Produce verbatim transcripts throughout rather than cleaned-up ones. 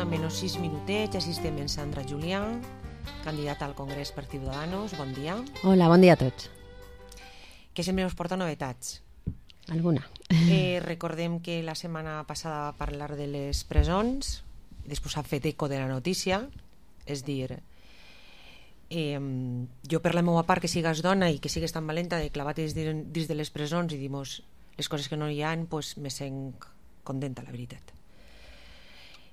una menys sis minutets, així estem en Sandra Julià, candidata al Congrés per Ciudadanos. Bon dia. Hola, bon dia a tots. Que sempre us porta novetats. Alguna. Eh, recordem que la setmana passada va parlar de les presons, després ha fet eco de la notícia, és dir, eh, jo per la meva part, que sigues dona i que sigues tan valenta de clavar-te dins de les presons i dir-nos les coses que no hi ha, pues me sent contenta, la veritat.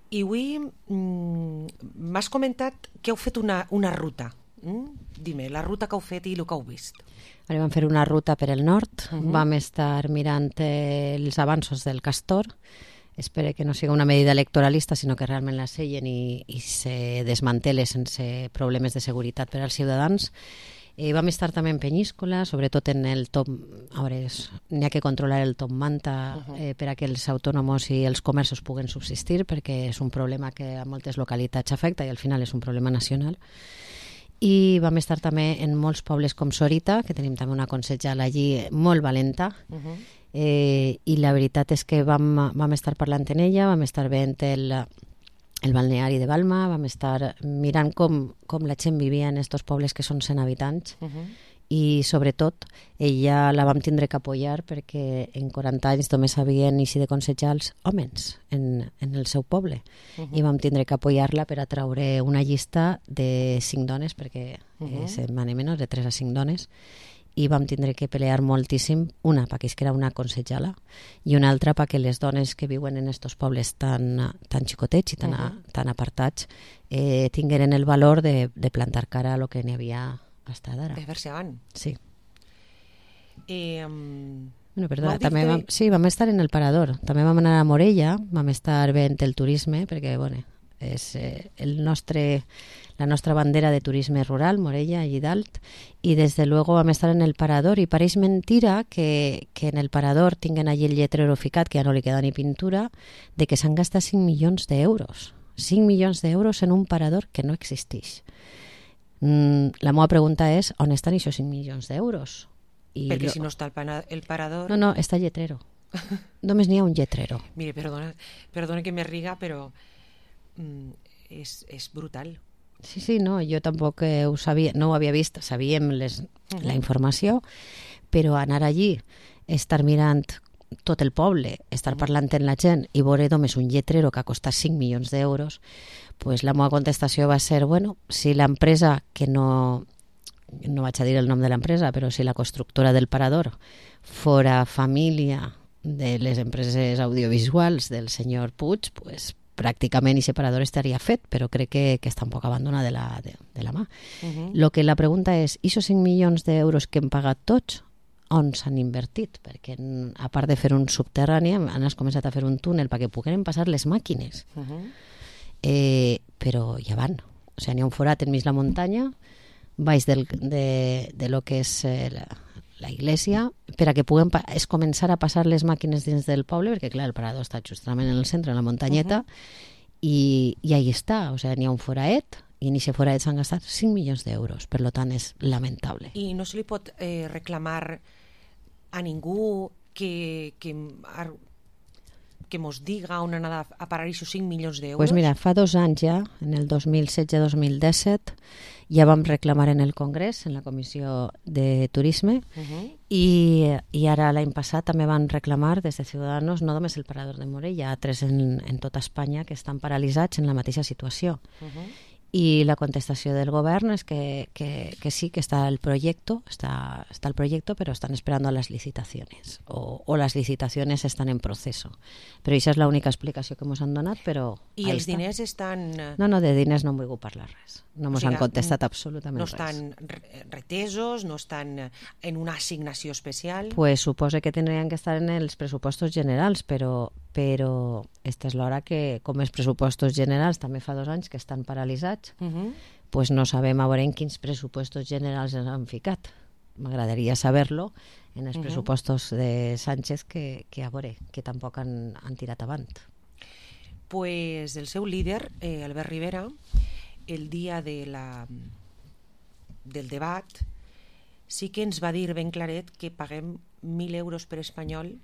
I avui m'has comentat que heu fet una, una ruta. Mm? Dime, la ruta que heu fet i el que heu vist. Ara vam fer una ruta per el nord, uh -huh. Vam estar mirant eh, els avanços del Castor. Espero que no sigui una medida electoralista, sinó que realment la sellen i, i se desmantele sense problemes de seguretat per als ciutadans. Eh, vam estar també en Penyíscola, sobretot en el top... A veure, n'hi ha que controlar el top manta eh, per a que els autònoms i els comerços puguen subsistir, perquè és un problema que a moltes localitats afecta i al final és un problema nacional. I vam estar també en molts pobles com Sorita, que tenim també una consellera allí molt valenta, uh -huh. eh, i la veritat és que vam, vam estar parlant en ella, vam estar veient el, el balneari de Balma, vam estar mirant com, com la gent vivia en aquests pobles que són cent habitants, uh -huh. i sobretot ella la vam tindre que apoyar perquè en quaranta anys només havien eixit de consellar els homes en, en el seu poble, uh -huh. i vam tindre que apoyar-la per a traure una llista de cinc dones, perquè uh -huh. eh, se'n van menys de tres a cinc dones, i vam tindre que pelear moltíssim, una perquè és que era una consellera i una altra perquè les dones que viuen en aquests pobles tan, tan xicotets i tan, uh -huh. tan apartats eh, tingueren el valor de, de plantar cara a lo que n'hi havia hasta d'ara. De fer-se avant. Sí. Eh, um, bueno, perdona, també vam, sí, vam estar en el Parador, també vam anar a Morella, vam estar veient el turisme, perquè, bueno, és eh, el nostre, la nostra bandera de turisme rural, Morella, allí dalt, i des de luego vam estar en el Parador, i pareix mentira que, que en el Parador tinguen allí el lletrero ficat, que ja no li queda ni pintura, de que s'han gastat cinc milions d'euros. cinc milions d'euros en un parador que no existeix. Mm, la meva pregunta és, on estan aquests cinc milions d'euros? I perquè lo... si no està el, pana, el parador... No, no, està el lletrero. Només n'hi ha un lletrero. Mire, perdona, perdona que me riga, però mm, és, és brutal. Sí, sí, no, jo tampoc eh, ho sabia, no ho havia vist, sabíem les, uh-huh. la informació, però anar allí, estar mirant tot el poble, estar uh-huh. parlant amb la gent i veure només un lletrero que ha costat cinc milions d'euros, pues la meva contestació va ser, bueno, si l'empresa, que no, no vaig a dir el nom de l'empresa, però si la constructora del Parador fora família de les empreses audiovisuals del senyor Puig, pues pràcticament aquest parador estaria fet, però crec que, que està un poc abandonat de la, de, de la mà. Uh-huh. Lo que la pregunta és, aquests cinc milions d'euros que hem pagat tots, on s'han invertit? Perquè a part de fer un subterrani, han començat a fer un túnel perquè puguin passar les màquines. Uh-huh. eh, però ja van. O sigui, n'hi ha un forat enmig la muntanya, baix del, de, de lo que és eh, la, la iglesia, per a que puguem pa- és començar a passar les màquines dins del poble, perquè clar, el parador està justament en el centre, en la muntanyeta, uh-huh. i, i ahí està. O sigui, n'hi ha un foraet, i en aquest foraet s'han gastat cinc milions d'euros, per lo tant és lamentable. I no se li pot eh, reclamar a ningú que, que, que mos diga on han a parar aquests cinc milions d'euros? Pues mira, fa dos anys ja, en el dos mil setze dos mil disset, ja vam reclamar en el Congrés, en la Comissió de Turisme, uh-huh. i, i ara l'any passat també van reclamar des de Ciudadanos, no només el Parador de Morella, hi ha tres en, en tota Espanya que estan paralitzats en la mateixa situació. Uh-huh. I la contestació del govern és que, que, que sí, que està el projecte, està, està el projecte, però estan esperando a las licitaciones, o, o las licitaciones están en proceso. Però això és l'única explicació que ens han donat, però... I els està. diners estan... No, no, de diners no em vull parlar res. No ens o sigui, han contestat absolutament no res. No estan retesos, no estan en una assignació especial? Pues suposo que tindrien que estar en els pressupostos generals, però, però esta és l'hora que, com els pressupostos generals també fa dos anys que estan paralitzats, uh-huh. pues no sabem a veure en quins pressupostos generals ens han ficat. M'agradaria saber-lo en els uh-huh. pressupostos de Sánchez que, que a veure, que tampoc han, han tirat avant. Pues el seu líder, eh, Albert Rivera, el dia de la, del debat, sí que ens va dir ben claret que paguem mil euros per espanyol.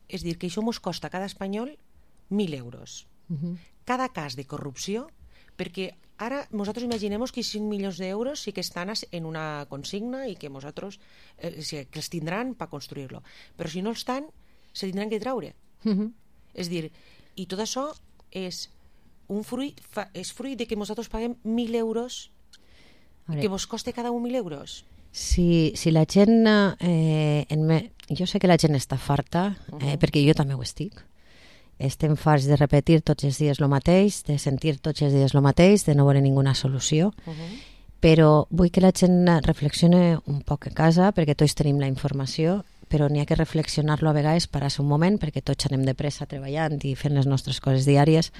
És dir, que això mos costa a cada espanyol mil euros. Uh-huh. Cada cas de corrupció, perquè ara nosaltres imaginem que cinc milions d'euros sí que estan en una consigna i que nosaltres eh, que els tindran per construir-lo. Però si no els estan, se tindran que treure. Uh-huh. És dir, i tot això és un fruit, fa, és fruit de que nosaltres paguem mil euros i que vos coste cada un mil euros. Si, si la gent... Eh, en me... Jo sé que la gent està farta, eh, uh-huh. perquè jo també ho estic. Estem farts de repetir tots els dies el mateix, de sentir tots els dies el mateix, de no veure ninguna solució. Uh-huh. Però vull que la gent reflexione un poc a casa, perquè tots tenim la informació, però n'hi ha que reflexionar-lo a vegades, parar-se un moment, perquè tots anem de pressa treballant i fent les nostres coses diàries,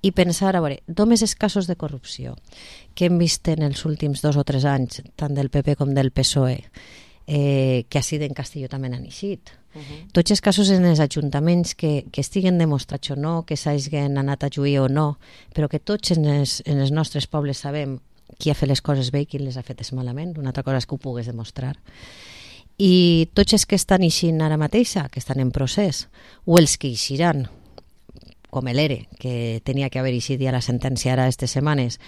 i pensar, a veure, només els casos de corrupció que hem vist en els últims dos o tres anys, tant del P P com del P S O E, eh, que així en Castelló també n'han eixit. Uh-huh. Tots els casos en els ajuntaments que, que estiguen demostrats o no, que s'hagin anat a lluir o no, però que tots en els, en els nostres pobles sabem qui ha fet les coses bé i qui les ha fetes malament. Una altra cosa és que ho pugues demostrar. I tots els que estan eixint ara mateixa, que estan en procés, o els que eixiran, com l'ERE, que tenia que haver eixit ja la sentència ara aquestes setmanes,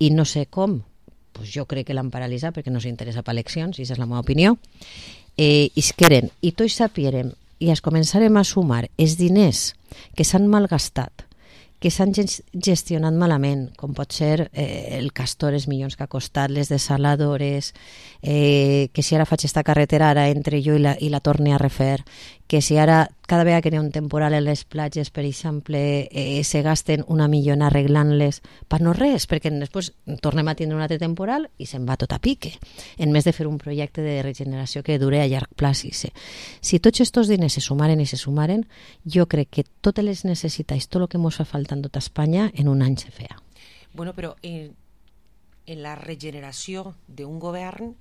i no sé com, pues jo crec que l'han paralitzat perquè no s'interessa per eleccions, i aquesta és la meva opinió, eh, isqueren, i tots sapierem, i es començarem a sumar els diners que s'han malgastat, que s'han gestionat malament, com pot ser eh, el Castor, els milions que ha costat, les desaladores, eh, que si ara faig esta carretera ara entre jo i la, i la torni a refer, que si ara cada vegada que hi ha un temporal a les platges, per exemple, eh, se gasten una millona arreglant-les per no res, perquè després tornem a tindre un altre temporal i se'n va tot a pique, en més de fer un projecte de regeneració que dure a llarg plaç. Si tots aquests diners se sumaren i se sumaren, jo crec que totes les necessitats, tot el que ens fa falta en tota Espanya, en un any se feia. Bueno, però en, en la regeneració d'un govern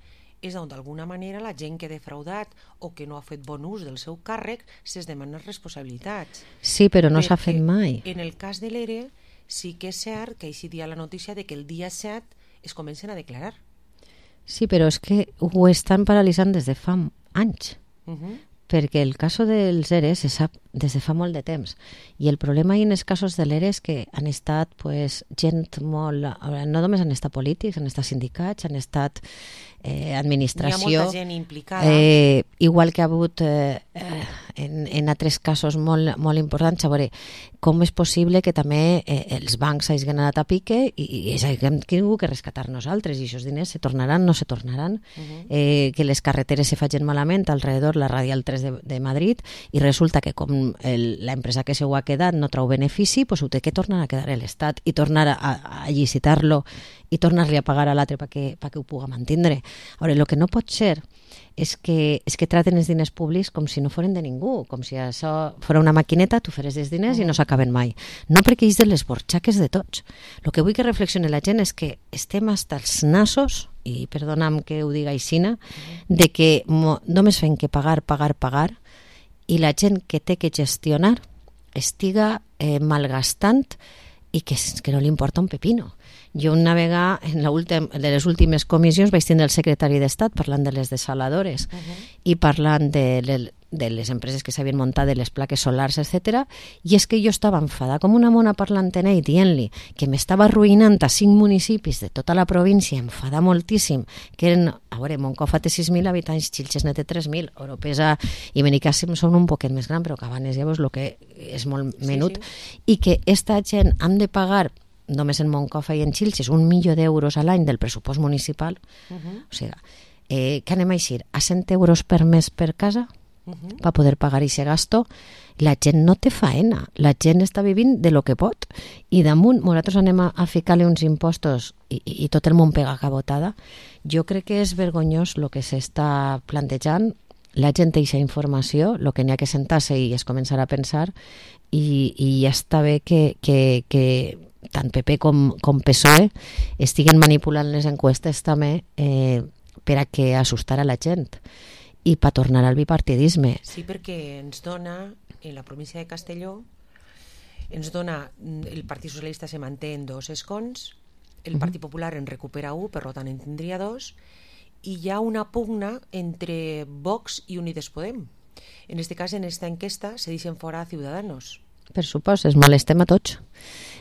és on d'alguna manera la gent que ha defraudat o que no ha fet bon ús del seu càrrec se's demana responsabilitats. Sí, però no s'ha fet mai. En el cas de l'ERE sí que és cert que així dia la notícia de que el dia set es comencen a declarar. Sí, però és que ho estan paralitzant des de fa anys. Uh-huh. Perquè el cas dels ERE se sap des de fa molt de temps. I el problema en els casos de l'ERE és que han estat pues, gent molt... No només han estat polítics, han estat sindicats, han estat eh, administració... Hi ha molta gent implicada. Eh, igual que ha hagut eh, en, en altres casos molt, molt importants. A veure, com és possible que també eh, els bancs hagin anat a pique i, i hagin tingut que rescatar nosaltres i aquests diners se tornaran, no se tornaran, uh-huh. eh, que les carreteres se facin malament alrededor la Radial tres de, de Madrid i resulta que com l'empresa que se ho ha quedat no trau benefici, pues ho té que tornar a quedar l'Estat i tornar a, a licitar-lo i tornar-li a pagar a l'altre perquè pa que ho puga mantindre. Ara, el que no pot ser és que, és que traten els diners públics com si no foren de ningú, com si això fos una maquineta, tu feres els diners i no s'acaben mai. No perquè és de les borxaques de tots. El que vull que reflexioni la gent és que estem hasta els nassos, i perdona'm que ho diga aixina, de que mo, només fem que pagar, pagar, pagar, i la gent que té que gestionar estiga eh, malgastant i que, que no li importa un pepino. Jo una vegada, en la últim, de les últimes comissions, vaig tindre el secretari d'Estat parlant de les desaladores uh-huh. i parlant de, de, de les empreses que s'havien muntat, de les plaques solars, etcètera. I és que jo estava enfadada com una mona parlant en ell, dient-li que m'estava arruïnant a cinc municipis de tota la província, enfadada moltíssim, que eren, a veure, Moncofa té sis mil habitants, Xilxes ne té tres mil, Oropesa i Benicàssim són un poquet més gran, però Cabanes llavors el que és molt menut, sí, sí. I que esta gent han de pagar només en Moncofa i en Xilxes un milió d'euros a l'any del pressupost municipal, uh-huh. o sigui, eh, que anem a eixir a cent euros per mes per casa uh-huh. per poder pagar aquest gasto. La gent no té faena, la gent està vivint de lo que pot i damunt nosaltres anem a, a ficar-li uns impostos i, i, i tot el món pega cabotada. Jo crec que és vergonyós el que s'està plantejant. La gent té aquesta informació, el que n'hi ha que sentar-se i es començar a pensar i, i ja està bé que, que, que tant P P com, com P S O E estiguen manipulant les encuestes també eh, per a que assustar a la gent i per tornar al bipartidisme. Sí, perquè ens dona, en la província de Castelló, ens dona, el Partit Socialista se manté en dos escons, el Partit Popular en recupera un, per tant en tindria dos, i hi ha una pugna entre Vox i Unides Podem. En este cas, en esta enquesta, se deixen fora a Ciudadanos. Per supost, es molestem a tots.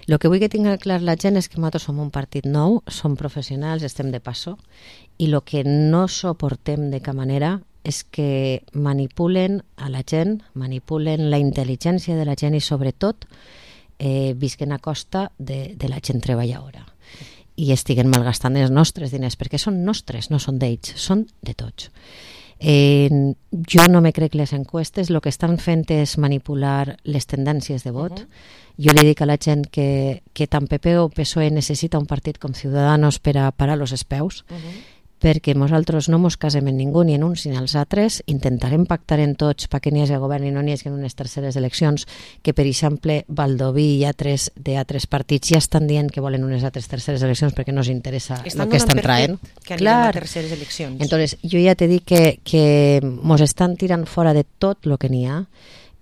El que vull que tingui clar la gent és que nosaltres som un partit nou, som professionals, estem de passo, i el que no suportem de cap manera és que manipulen a la gent, manipulen la intel·ligència de la gent i sobretot eh, visquen a costa de, de la gent treballadora i estiguen malgastant els nostres diners, perquè són nostres, no són d'ells, són de tots. Eh, jo no me crec les encuestes, el que estan fent és manipular les tendències de vot. Uh-huh. Jo li dic a la gent que, que tant P P o P S O E necessita un partit com Ciudadanos per a parar los espeus, uh-huh. perquè nosaltres no mos casem en ningú, ni en uns ni en els altres, intentarem pactar en tots perquè n'hi hagi govern i no n'hi hagi en unes terceres eleccions, que per exemple Baldoví i altres d'altres partits ja estan dient que volen unes altres terceres eleccions perquè no els interessa el que estan traient. Que anirem a terceres eleccions. Entonces, jo ja te dic que, que mos estan tirant fora de tot el que n'hi ha,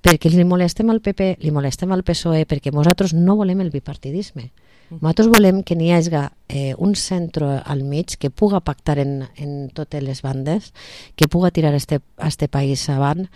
perquè li molestem al P P, li molestem al P S O E, perquè nosaltres no volem el bipartidisme. Nosaltres volem que n'hi hagi eh, un centre al mig que puga pactar en, en totes les bandes, que puga tirar este, este país avant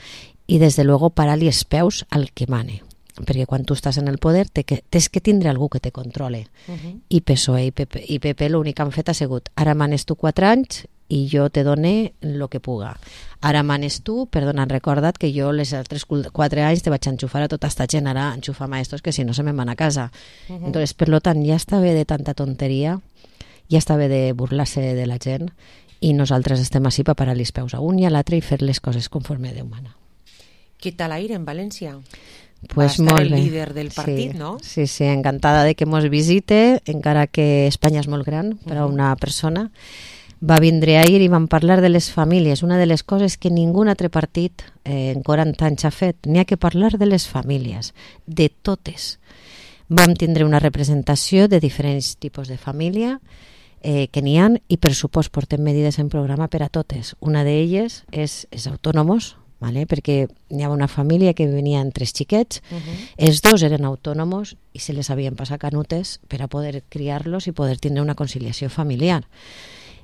i des de luego parar-li els peus al que mane. Perquè quan tu estàs en el poder te que, tens que tindre algú que te controle. Uh-huh. I P S O E i P P, i P P l'únic que han fet ha sigut ara manes tu quatre anys i jo te done el que puga. Ara manes tu, perdona, han recordat que jo les altres quatre anys te vaig enxufar a tota esta gent, ara enxufar maestros que si no se me'n van a casa. Uh-huh. Entonces, per lo tant, ja està bé de tanta tonteria, ja està bé de burlar-se de la gent i nosaltres estem així per parar els peus a un i a l'altre i fer les coses conforme Déu mana. Què tal aire en València? Pues va estar molt el bé. líder del partit, sí, no? Sí, sí, encantada de que mos visite, encara que Espanya és molt gran per a una persona. Va vindre ahir i vam parlar de les famílies, una de les coses que ningú altre partit eh, en quaranta anys ha fet. N'hi ha que parlar de les famílies, de totes. Vam tindre una representació de diferents tipus de família eh, que n'hi ha i per supost portem medides en programa per a totes. Una d'elles és, és autònomos, vale? Perquè hi havia una família que venia amb tres xiquets, uh-huh. Els dos eren autònomos i se les havien passat canutes per a poder criar-los i poder tindre una conciliació familiar.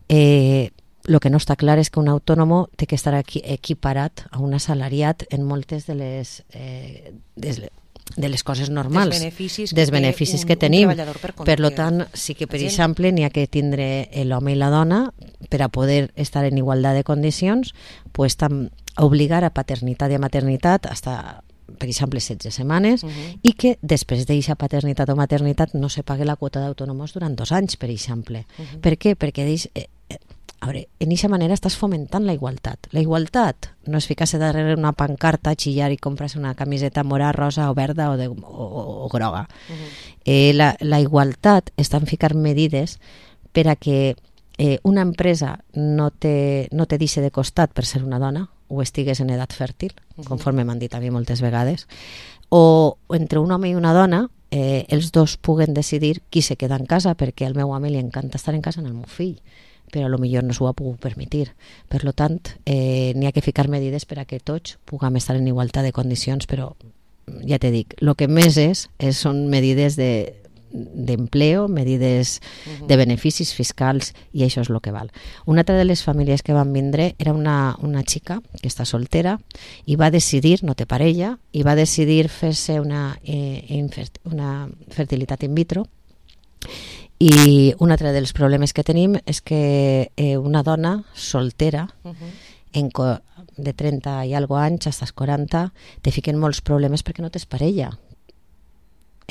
Eh, lo que no està clar és que un autònomo té que estar aquí equiparat a un assalariat en moltes de les, eh, de, de les coses normals, dels beneficis, dels beneficis que, un, que tenim. Per, per lo tant, sí que per exemple n'hi ha que tindre l'home i la dona per a poder estar en igualtat de condicions, pues, tam, obligar a paternitat i a maternitat hasta, per exemple, setze setmanes, uh-huh. i que després d'eixa paternitat o maternitat no se pague la quota d'autònoms durant dos anys, per exemple. Uh-huh. Per què? Perquè deix, eh, eh, a veure, en eixa manera estàs fomentant la igualtat. La igualtat no és ficar-se darrere una pancarta, xillar i comprar-se una camiseta morada, rosa o verda o, de, o, o, o groga. Uh-huh. Eh, la, la igualtat està en ficar medides per a que eh, una empresa no te, no te deixi de costat per ser una dona, o estigues en edat fèrtil, conforme m'han dit a mi moltes vegades, o entre un home i una dona eh, els dos puguen decidir qui se queda en casa, perquè al meu home li encanta estar en casa amb el meu fill, però a lo millor no s'ho ha pogut permetir. Per lo tant, eh, n'hi ha que ficar medides per a que tots puguem estar en igualtat de condicions, però ja te dic, el que més és, és són medides de d'empleo, medides uh-huh. de beneficis fiscals, i això és el que val. Una altra de les famílies que van vindre era una, una xica que està soltera i va decidir, no té parella, i va decidir fer-se una, eh, infert, una fertilitat in vitro, i un altre dels problemes que tenim és que eh, una dona soltera uh-huh. en co- de trenta i algo anys fins als quaranta te fiquen molts problemes perquè no tens parella.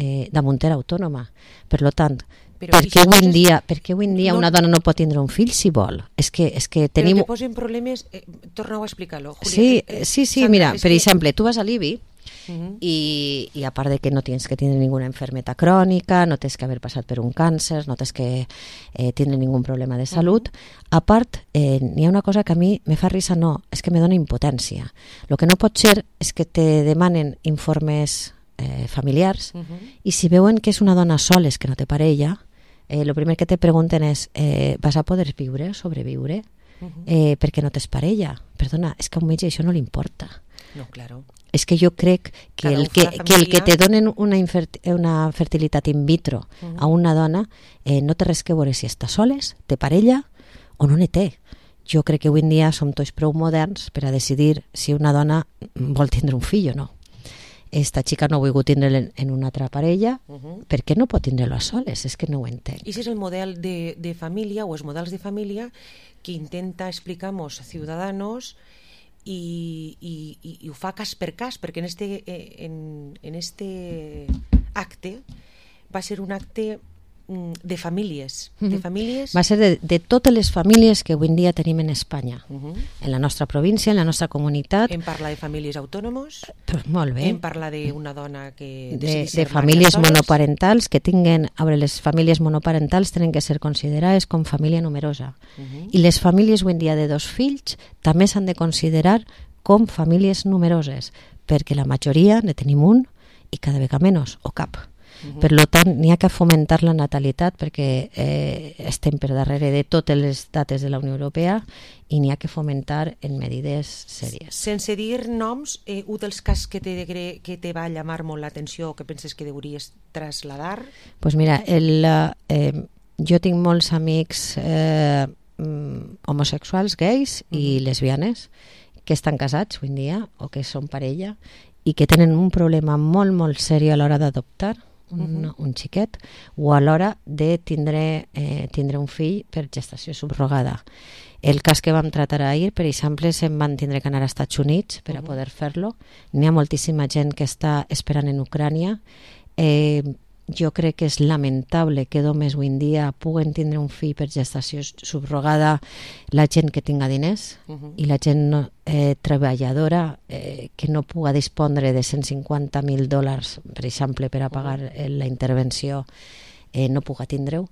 Eh, damunt era autònoma. Per lo tant, però per què avui en dia, per què avui en dia no, una dona no pot tindre un fill si vol? És que, és que tenim... Però que posen problemes... Eh, torna-ho a explicar-lo, Julia. Sí, eh, eh, sí, sí, Sandra, mira, per que... exemple, tu vas a l'I B I uh-huh. i, i a part de que no tens que tindre ninguna enfermeta crònica, no tens que haver passat per un càncer, no tens que eh, tindre ningun problema de salut, uh-huh. a part, eh, n'hi ha una cosa que a mi me fa risa, no, és que me dona impotència. Lo que no pot ser és que te demanen informes eh, familiars uh-huh. i si veuen que és una dona sola, que no té parella, eh, lo primer que te pregunten és eh, vas a poder viure o sobreviure uh-huh. eh, perquè no tens parella? Perdona, és que a un metge això no li importa. No, claro. És que jo crec que el que, que el que te donen una, infert, una fertilitat in vitro uh-huh. a una dona eh, no té res que veure si està soles, té parella o no ne té. Jo crec que avui en dia som tots prou moderns per a decidir si una dona vol tindre un fill o no. esta xica no ha volgut tindre en una altra parella, Uh -huh. per què no pot tindre-lo a soles? És que no ho entenc. I és el model de, de família o els models de família que intenta explicar-nos ciudadanos i, i, i, i ho fa cas per cas, perquè en este, en, en este acte va ser un acte de famílies, de famílies... Va ser de, de totes les famílies que avui en dia tenim en Espanya, Uh -huh. en la nostra província, en la nostra comunitat. Hem parlat de famílies autònomos, Però molt bé. hem parlat d'una dona que... De, de famílies soles. monoparentals que tinguen... A veure, les famílies monoparentals tenen que ser considerades com família numerosa. Uh -huh. I les famílies avui en dia de dos fills també s'han de considerar com famílies numeroses, perquè la majoria ne tenim un i cada vegada menys, o cap. Uh -huh. Per tant, n'hi ha que fomentar la natalitat perquè eh, estem per darrere de totes les dates de la Unió Europea i n'hi ha que fomentar en medides sèries. Sense dir noms, eh, un dels casos que te, que te va llamar molt l'atenció, que penses que hauries trasladar? Pues mira, el, eh, jo tinc molts amics eh, homosexuals, gais uh -huh. i lesbianes que estan casats avui en dia o que són parella i que tenen un problema molt, molt seriós a l'hora d'adoptar un, uh-huh. un xiquet o a l'hora de tindre, eh, tindre un fill per gestació subrogada. El cas que vam tratar ahir, per exemple, se'n van tindre que anar als Estats Units per a poder fer-lo. N'hi ha moltíssima gent que està esperant en Ucrània. Eh, jo crec que és lamentable que només avui en dia puguen tindre un fill per gestació subrogada la gent que tinga diners uh -huh. i la gent no, eh, treballadora eh, que no puga dispondre de cent cinquanta mil dòlars, per exemple, per a pagar uh -huh. la intervenció, eh, no puga tindre-ho.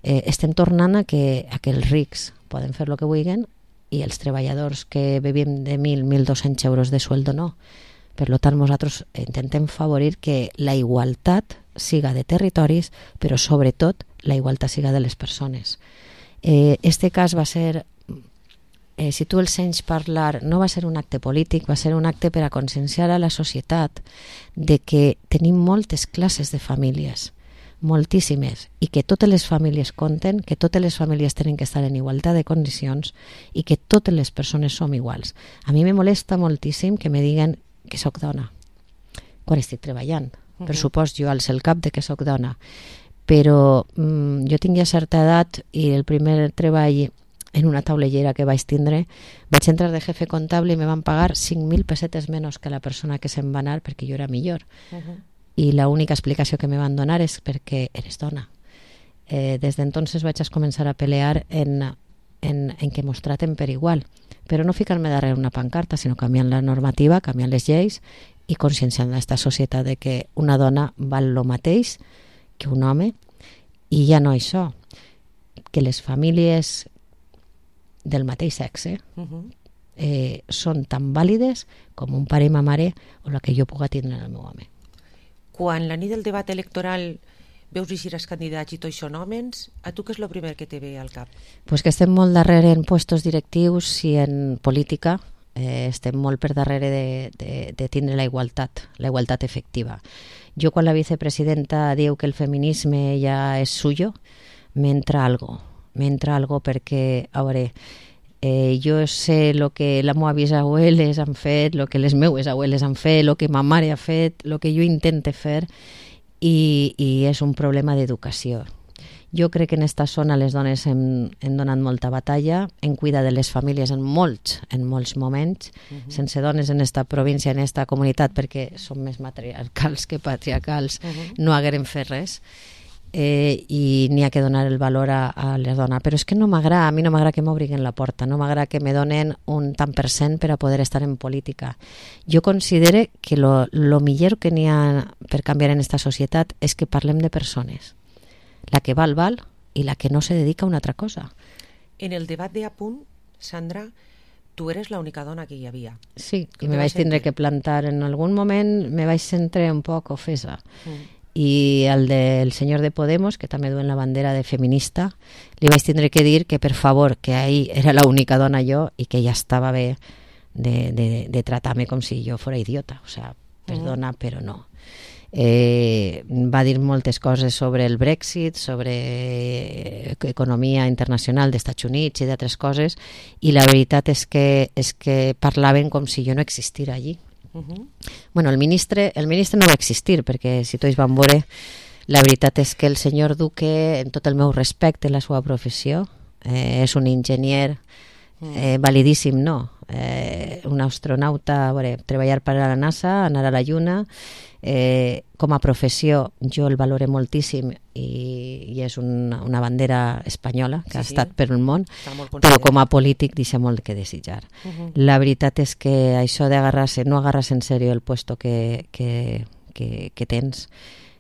Eh, estem tornant a que, a que els rics poden fer el que vulguin i els treballadors que vivim de mil, mil dos-cents euros de sueldo no. Per tant, nosaltres intentem favorir que la igualtat siga de territoris, però sobretot la igualtat siga de les persones. Eh, este cas va ser, eh, si tu el sents parlar, no va ser un acte polític, va ser un acte per a conscienciar a la societat de que tenim moltes classes de famílies, moltíssimes, i que totes les famílies compten, que totes les famílies tenen que estar en igualtat de condicions i que totes les persones som iguals. A mi me molesta moltíssim que me diguen que sóc dona quan estic treballant. Uh -huh. Per supost, jo alço el cap de que sóc dona, però mm, jo tinc ja certa edat i el primer treball en una taulellera que vaig tindre, vaig entrar de jefe comptable i me van pagar cinc mil pessetes menys que la persona que se'n va anar perquè jo era millor. Uh -huh. I l'única explicació que me van donar és perquè eres dona. Eh, des d'entonces vaig a començar a pelear en, en, en que mos traten per igual, però no ficar-me darrere una pancarta, sinó canviant la normativa, canviant les lleis i conscienciant aquesta societat de que una dona val el mateix que un home, i ja no això, que les famílies del mateix sexe uh-huh. eh, són tan vàlides com un pare i ma mare o la que jo puga tindre en el meu home. Quan la nit del debat electoral veus eixir els candidats i tots són homes, a tu què és el primer que te ve al cap? Pues que estem molt darrere en puestos directius i en política, eh, estem molt per darrere de, de, de tindre la igualtat, la igualtat efectiva. Jo quan la vicepresidenta diu que el feminisme ja és suyo, m'entra algo, m'entra algo perquè, a veure, eh, jo sé el que les meves abueles han fet, el que les meues abueles han fet, el que ma mare ha fet, el que jo intente fer, i, i és un problema d'educació. Jo crec que en esta zona les dones hem, hem donat molta batalla, en cuida de les famílies en molts, en molts moments, uh-huh. sense dones en esta província, en esta comunitat, perquè són més matriarcals que patriarcals, uh-huh. no haguérem fet res. Eh, i n'hi ha que donar el valor a, a les dones, però és que no m'agrada, a mi no m'agrada que m'obriguen la porta, no m'agrada que me donen un tant per cent per a poder estar en política. Jo considero que lo, lo millor que n'hi ha per canviar en esta societat és que parlem de persones, la que val, val, i la que no se dedica a una altra cosa. En el debat de Apunt, Sandra, tu eres l'única dona que hi havia. Sí, i me vaig tindre que plantar en algun moment, me vaig sentir un poc ofesa. Mm. I el del senyor de Podemos, que també duen la bandera de feminista, li vaig tindre que dir que per favor, que ahí era l'única dona jo i que ja estava bé de, de, de tratar-me com si jo fora idiota, o sea, perdona, mm. però no. Eh, va dir moltes coses sobre el Brexit, sobre economia internacional dels Estats Units i d'altres coses, i la veritat és que, és que parlaven com si jo no existira allí. Uh-huh. Bueno, el ministre, el ministre no va existir, perquè si tots van veure, la veritat és que el senyor Duque, en tot el meu respecte, la seva professió, eh, és un enginyer eh, validíssim, no? Eh, un astronauta, a veure, treballar per a la NASA, anar a la Lluna, eh, com a professió jo el valore moltíssim i, i és una, una bandera espanyola que sí, ha estat sí. per el món, però com a polític deixa molt que desitjar. Uh-huh. La veritat és que això d'agarrar-se, no agarrar-se en sèrio el puesto que, que, que, que tens.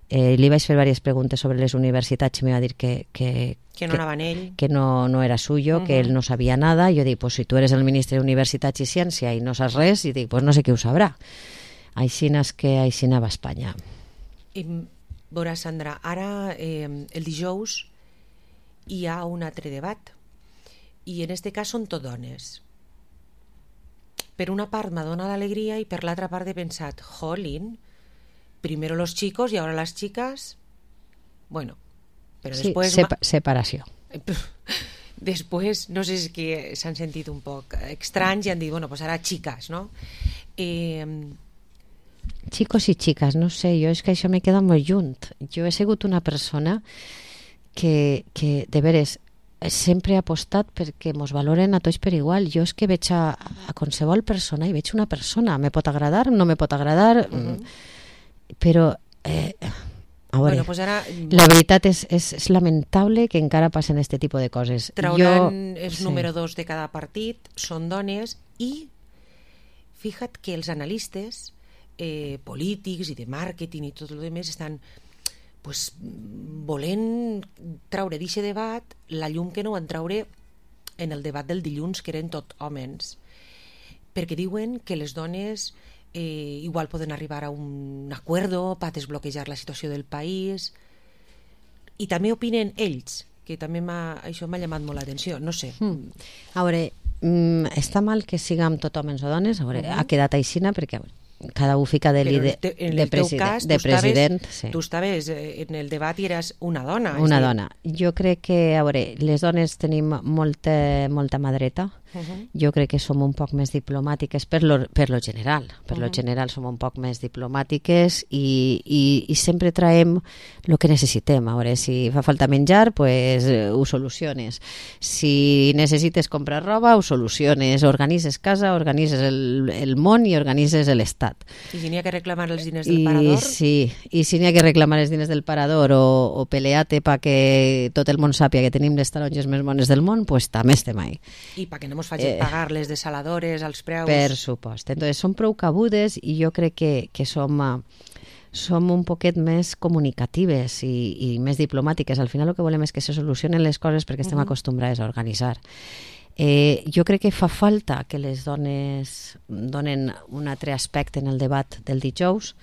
Eh, li vaig fer diverses preguntes sobre les universitats i m'ha dit que, que, que no anava en ell, que no, no era suyo, uh-huh. que ell no sabia nada. I jo dic, pues si tu eres el ministre d'Universitats i Ciència i no saps res, i dic, pues no sé qui ho sabrà. Així és que així anava a Espanya. I, veurà, Sandra, ara eh, el dijous hi ha un altre debat i en este cas són tot dones. Per una part m'ha donat alegria i per l'altra part he pensat, jolín, primero los chicos y ahora las chicas. Bueno, pero sí, después... Sepa- separació. Després, no sé si que s'han sentit un poc estranys i han dit, bueno, pues ara chicas, no? Eh... Chicos i chicas, no sé, jo és que això me queda molt junt. Jo he sigut una persona que, que de veres, sempre he apostat perquè mos valoren a tots per igual. Jo és que veig a, a qualsevol persona i veig una persona. Me pot agradar, no me pot agradar... Uh-huh. Però eh, a veure, bueno, pues ara, la veritat és, és, és lamentable que encara passen aquest tipus de coses. Trauran jo, els sí. número dos de cada partit, són dones i fíjate que els analistes eh, polítics i de màrqueting i tot el demés estan pues, volent traure d'aquest debat la llum que no van traure en el debat del dilluns, que eren tot homes, perquè diuen que les dones Eh, igual poden arribar a un acuerdo per desbloquejar la situació del país i també opinen ells, que també m'ha, això m'ha llamat molt l'atenció, no sé. Mm. A veure, mm, està mal que siguem tot homes o dones, a veure, uh-huh. ha quedat aixina perquè cada un fica de líder, te, de, president, cas, de president. Estaves, sí. Tu estaves en el debat i eres una dona. Una dona. Jo crec que, a veure, les dones tenim molta, molta mà dreta. Uh-huh. Jo crec que som un poc més diplomàtiques per lo, per lo general. Per uh-huh. lo general som un poc més diplomàtiques i, i, i sempre traiem el que necessitem. A veure, si fa falta menjar, pues ho soluciones. Si necessites comprar roba, ho soluciones. Organitzes casa, organitzes el, el món i organitzes l'estat. I si n'hi ha que reclamar els diners del parador? I, sí, i si n'hi ha que reclamar els diners del parador o, o pelear-te perquè tot el món sàpia que tenim les taronges més bones del món, pues també estem ahí. I perquè no ens facin eh, pagar les desaladores, els preus... Per supost. Entonces, som prou cabudes i jo crec que, que som... som un poquet més comunicatives i, i més diplomàtiques. Al final el que volem és que se solucionen les coses perquè estem uh-huh. acostumbrades a organitzar. Eh, jo crec que fa falta que les dones donen un altre aspecte en el debat del dijous.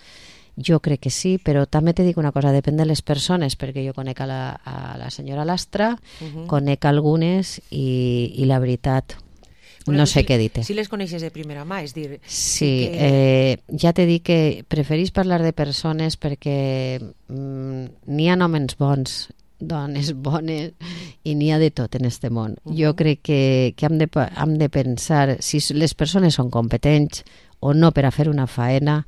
Jo crec que sí, però també te dic una cosa, depèn de les persones, perquè jo conec a la, a la senyora Lastra, uh-huh. conec algunes i, i la veritat bueno, no sé si, què dir-te. Si les coneixes de primera mà, és dir... Sí, que... eh, ja t'he dit que preferís parlar de persones perquè mm, n'hi ha homes bons, dones bones i n'hi ha de tot en este món. Uh-huh. Jo crec que, que hem, de, hem de pensar si les persones són competents o no per a fer una faena,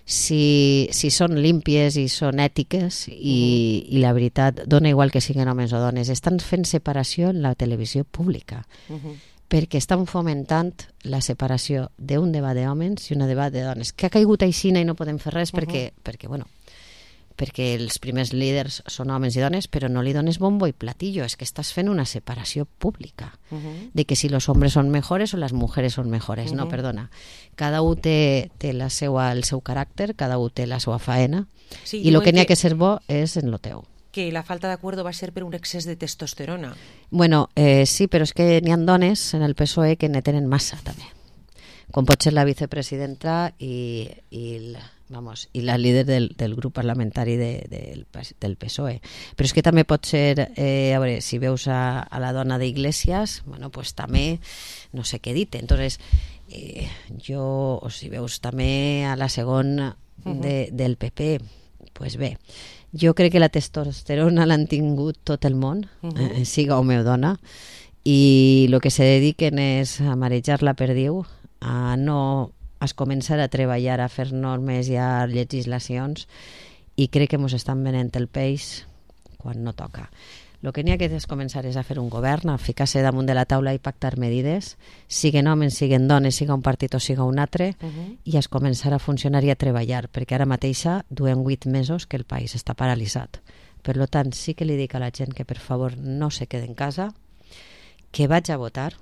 si, si són límpies i són ètiques i, uh-huh. i la veritat dona igual que siguin homes o dones. Estan fent separació en la televisió pública uh-huh. perquè estan fomentant la separació d'un debat d'homes i un debat de dones, que ha caigut aixina i no podem fer res uh-huh. perquè, perquè bueno, perquè els primers líders són homes i dones, però no li dones bombo i platillo, és que estàs fent una separació pública, uh-huh. de que si los hombres són mejores o les mujeres són mejores, uh-huh. no, perdona. Cada un té, té la seua, el seu caràcter, cada un té la seva faena, sí, i el que n'hi ha que ser bo és en lo teu. Que la falta d'acuerdo va ser per un excés de testosterona. Bueno, eh, sí, però és que n'hi ha dones en el P S O E que ne tenen massa, també. Com pot ser la vicepresidenta i, i el... Vamos, i la líder del, del grup parlamentari de, de, del P S O E. Però és que també pot ser, eh, a veure, si veus a, a la dona d'Iglesias, bueno, pues també no sé què dir-te. Entonces, eh, jo, o si veus també a la segona de, uh-huh. del P P, pues bé, jo crec que la testosterona l'han tingut tot el món, uh-huh. eh, siga home o dona, i el que se dediquen és a marejar la perdiu, a no es començar a treballar, a fer normes i a legislacions, i crec que ens estan venent el peix quan no toca. El que n'hi ha que és començar és a fer un govern, a ficar-se damunt de la taula i pactar medides, siguen homes, siguen dones, siga un partit o siga un altre, uh -huh. i es començar a funcionar i a treballar, perquè ara mateixa duem vuit mesos que el país està paralitzat. Per tant, sí que li dic a la gent que per favor no se quede en casa, que vaig a votar,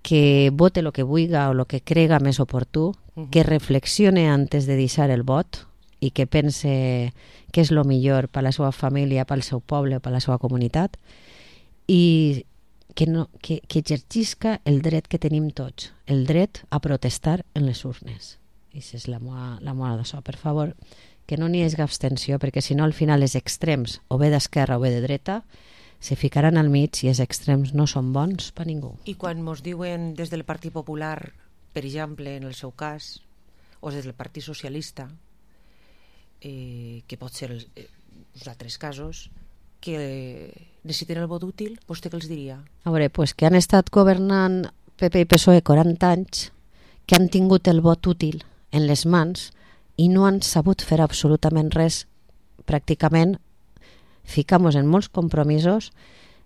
que vote el que vulga o el que crega més oportú, uh -huh. que reflexione antes de deixar el vot i que pense què és el millor per a la seva família, pel seu poble, per a la seva comunitat, i que, no, que, que exercisca el dret que tenim tots, el dret a protestar en les urnes. I això és la meva, la meva d'això. Per favor, que no n'hi hagi abstenció, perquè si no al final els extrems, o bé d'esquerra o bé de dreta, se ficaran al mig i els extrems no són bons per ningú. I quan mos diuen des del Partit Popular, per exemple, en el seu cas, o des del Partit Socialista, eh, que pot ser els, eh, els altres casos, que necessiten el vot útil, vostè què els diria? A veure, pues que han estat governant P P i P S O E quaranta anys, que han tingut el vot útil en les mans i no han sabut fer absolutament res, pràcticament ficamos en molts compromisos,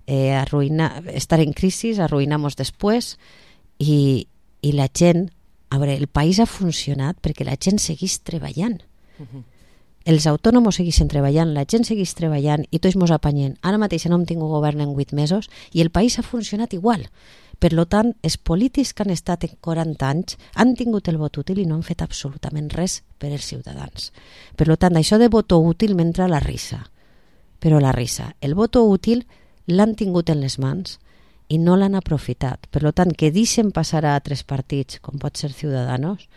eh, arruïnar, estar en crisi, arruïnamos després, i, i la gent, a veure, el país ha funcionat perquè la gent seguís treballant. Uh-huh. Els autònoms segueixen treballant, la gent segueix treballant i tots mos apanyem. Ara mateix no hem tingut govern en vuit mesos i el país ha funcionat igual. Per tant, els polítics que han estat en quaranta anys han tingut el vot útil i no han fet absolutament res per als ciutadans. Per tant, això de voto útil m'entra la risa. Però la risa. El voto útil l'han tingut en les mans i no l'han aprofitat. Per tant, que deixen passar a altres partits, com pot ser Ciudadanos,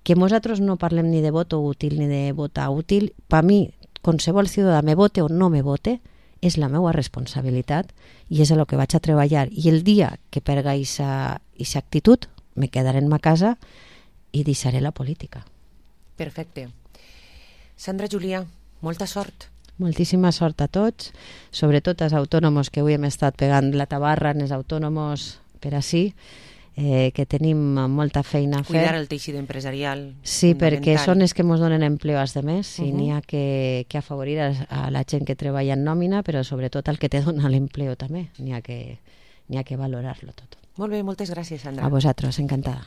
que nosaltres no parlem ni de voto útil ni de votar útil. Per mi, qualsevol ciutadà me vote o no me vote, és la meva responsabilitat i és a lo que vaig a treballar. I el dia que perga aquesta actitud, me quedaré en ma casa i deixaré la política. Perfecte. Sandra Julià, molta sort. Moltíssima sort a tots, sobretot als autònoms que avui hem estat pegant la tabarra en els autònoms per així, eh, que tenim molta feina a fer. Cuidar el teixit empresarial. Sí, perquè són els que ens donen empleo als demés, i uh-huh. n'hi ha que, que afavorir a, a la gent que treballa en nòmina, però sobretot al que te dona l'empleo també. N'hi ha que, n'hi ha que valorar-lo tot. Molt bé, moltes gràcies, Sandra. A vosaltres, encantada.